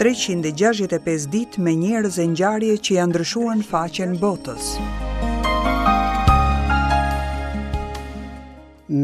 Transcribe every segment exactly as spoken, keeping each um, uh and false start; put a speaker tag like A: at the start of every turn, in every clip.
A: treqind e gjashtëdhjetë e pesë ditë me njerëz e ngjarje që janë ndryshuar në faqen botës.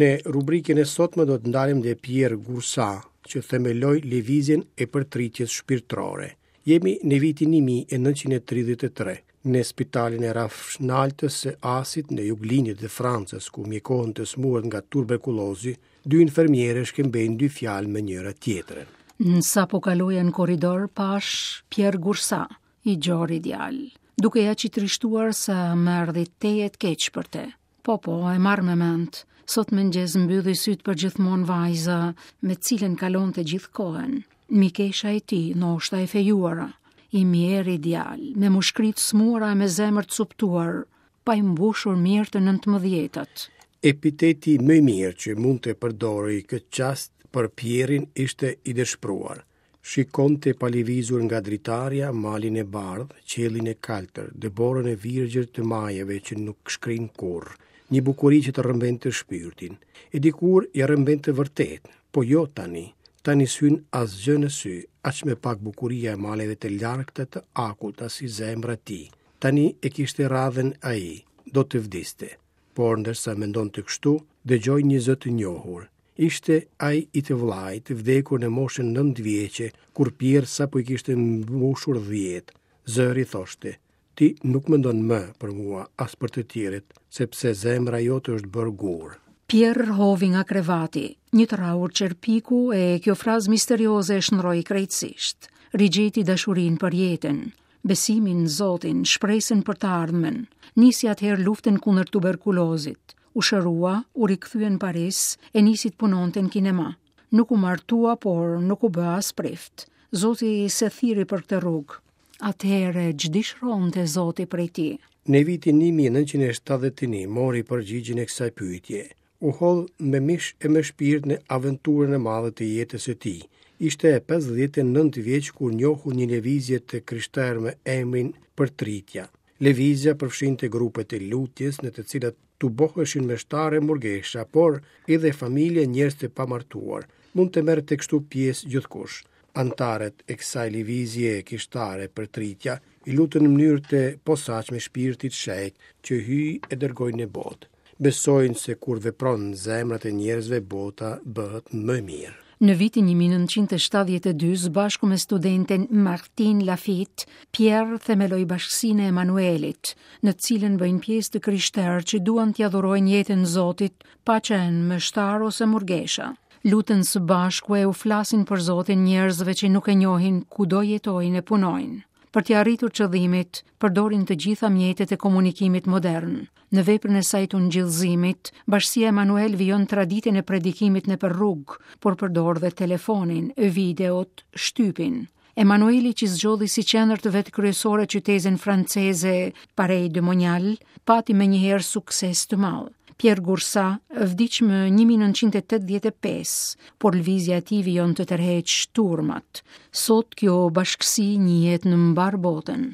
B: Në rubrikën e sotme do të ndalim te Pierre Goursat, që themeloi lëvizjen e përtritjes shpirtërore. Jemi në vitin një mijë e nëntëqind e tridhjetë e tre, në spitalin e Rafshnaltës së Asit në juglindje të Francës, ku mjekohen të smuret nga tuberkulozi, dy infermiere shkëmbejnë dy fjalë me njëra tjetrën.
C: Në sa po kaloja në korridor, pash Pierre Goursat, i gjori djalë, duke ja që trishtuar sa më erdhi tejet keq për te. Po, po, e marr me mend. Sot mëngjes mbylli syt për gjithmonë vajza me cilën kalonte gjithë kohën. Mikesha e tij, ndoshta e fejuara, i mjeri djalë, me mushkëri të smuara e me zemër të coptuar, pa i mbushur mirë të nëntëmbëdhjetat.
B: Epiteti më i mirë që mund të përdorej këtë çast për Pierin ishte i dëshpëruar. Shikonte pa lëvizur nga dritarja malin e bardhë, qiellin e kaltër, dëborën e virgjër të majeve që nuk shkrin kurrë, një bukuri që të rrëmbente shpirtin. E dikur i rrëmbente vërtet, po jo tani. Tani s'hyn asgjë në sy, aq më pak bukuria e maleve të largëta të akullta si zemra e tij. Tani e kishte radhën ai, do të vdiste. Por ndërsa mendonte kështu, dëgjoi një zë të njohur. Ishte ai i të vllait, vdekur në moshën nëntë vjeçe, kur Pierre sapo i kishte mbushur dhjetë. Zëri thoshte: Ti nuk mendon më për mua, as për të tjerët, sepse zemra jote është bërë gur.
C: Pierre hovi nga krevati, një të rraur qerpiku e kjo frazë misterioze e shndroi krejtësisht. Rigjeti dashurinë për jetën, besimin në Zotin, shpresën për të ardhmen. Nisi atëherë luftën kundër tuberkulozit. U shërua, u rikthye në Paris e nisi të punonte në kinema. Nuk u martua, por nuk u bë as prift. Zoti se thirri për këtë rrugë. Atëherë ç'dëshironte Zoti prej tij?
B: Në vitin një mijë e nëntëqind e shtatëdhjetë e një mori përgjigjen e kësaj pyetje. U hodh me mish e me shpirt në aventurën e madhe të jetës së tij. Ishte pesëdhjetë e nëntë vjeç kur njohu një lëvizje të krishterë me emrin Përtritja. Lëvizja përfshinte grupet e lutjes në të cilat tuboheshin meshtarë e murgesha, por edhe familje njerëz të pamartuar. Mund të merrte kështu pjesë gjithkush. Antarët e kësaj lëvizje kishtare Përtritja i lutën në mënyrë të posaçme shpirtit shenjt që hyj e dërgoi në botë. Besojnë se kur vepron zemrat e njerëzve, bota bëhet më mirë.
C: Në vitin një mijë e nëntëqind e shtatëdhjetë e dy, së bashku me studenten Martine Lafitte, Pierre themeloi bashkësinë e Emanuelit, në të cilën bëjnë pjesë të krishterë që duan t'ia dhurojnë jetën Zotit, pa qenë mështar ose murgesha. Luten së bashku e u flasin për Zotin njerëzve që nuk e njohin kudo jetojnë e punojnë. Për t'ia arritur qëllimit, përdorin të gjitha mjetet e komunikimit modern. Në veprën e saj të ungjillzimit, Bashkësia Emanuel vijon traditën e predikimit nëpër rrugë, por përdor dhe telefonin, videot, shtypin. Emanueli që zgjodhi si qendër të vet kryesore qytetin franceze Paray-le-Monial, pati menjëherë sukses të madh. Pierre Goursat vdiq më një mijë e nëntëqind e tetëdhjetë e pesë, por lëvizja e tij vijon të tërheqë turmat. Sot kjo bashkësi njihet në mbar botën.